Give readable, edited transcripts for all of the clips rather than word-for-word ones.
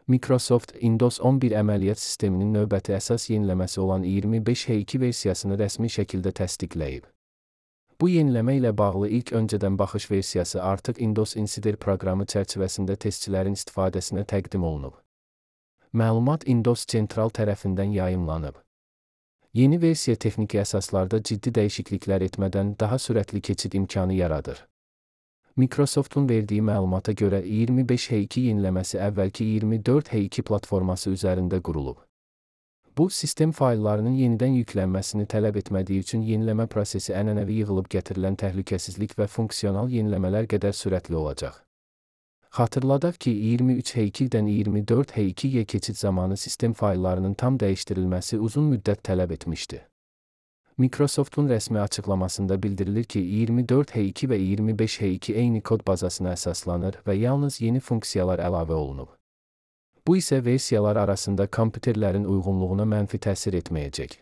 Microsoft Windows 11 əməliyyat sisteminin növbəti əsas yeniləməsi olan 25H2 versiyasını rəsmi şəkildə təsdiqləyib. Bu yeniləmə ilə bağlı ilk öncədən baxış versiyası artıq Windows Insider proqramı çərçivəsində testçilərin istifadəsinə təqdim olunub. Məlumat Windows Central tərəfindən yayımlanıb. Yeni versiya texniki əsaslarda ciddi dəyişikliklər etmədən daha sürətli keçid imkanı yaradır. Microsoft'un verdiyi məlumata görə 25H2 yeniləməsi əvvəlki 24H2 platforması üzərində qurulub. Bu, sistem fayllarının yenidən yüklənməsini tələb etmədiyi üçün yeniləmə prosesi ənənəvi yığılıb gətirilən təhlükəsizlik və funksional yeniləmələr qədər sürətli olacaq. Xatırladaq ki, 23H2-dən 24H2-yə keçid zamanı sistem fayllarının tam dəyişdirilməsi uzun müddət tələb etmişdi. Microsoft'un rəsmi açıqlamasında bildirilir ki, 24H2 və 25H2 eyni kod bazasına əsaslanır və yalnız yeni funksiyalar əlavə olunub. Bu isə versiyalar arasında kompüterlərin uyğunluğuna mənfi təsir etməyəcək.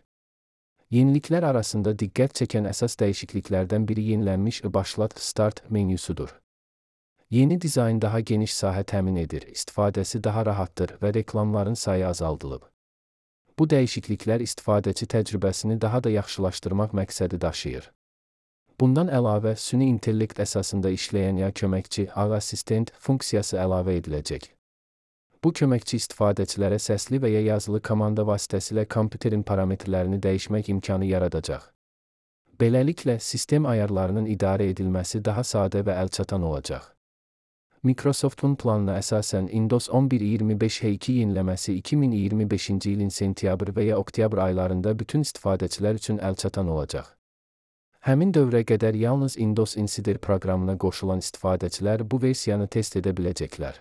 Yeniliklər arasında diqqət çəkən əsas dəyişikliklərdən biri yenilənmiş Başlat Start menüsüdür. Yeni dizayn daha geniş sahə təmin edir, istifadəsi daha rahatdır və reklamların sayı azaldılıb. Bu dəyişikliklər istifadəçi təcrübəsini daha da yaxşılaşdırmaq məqsədi daşıyır. Bundan əlavə, süni intellekt əsasında işləyən ya köməkçi, assistent funksiyası əlavə ediləcək. Bu köməkçi istifadəçilərə səsli və ya yazılı komanda vasitəsilə kompüterin parametrlərini dəyişmək imkanı yaradacaq. Beləliklə, sistem ayarlarının idarə edilməsi daha sadə və əlçatan olacaq. Microsoft'un planına əsasən Windows 11 25H2 yeniləməsi 2025-ci ilin sentyabr və ya oktyabr aylarında bütün istifadəçilər üçün əlçatan olacaq. Həmin dövrə qədər yalnız Windows Insider proqramına qoşulan istifadəçilər bu versiyanı test edə biləcəklər.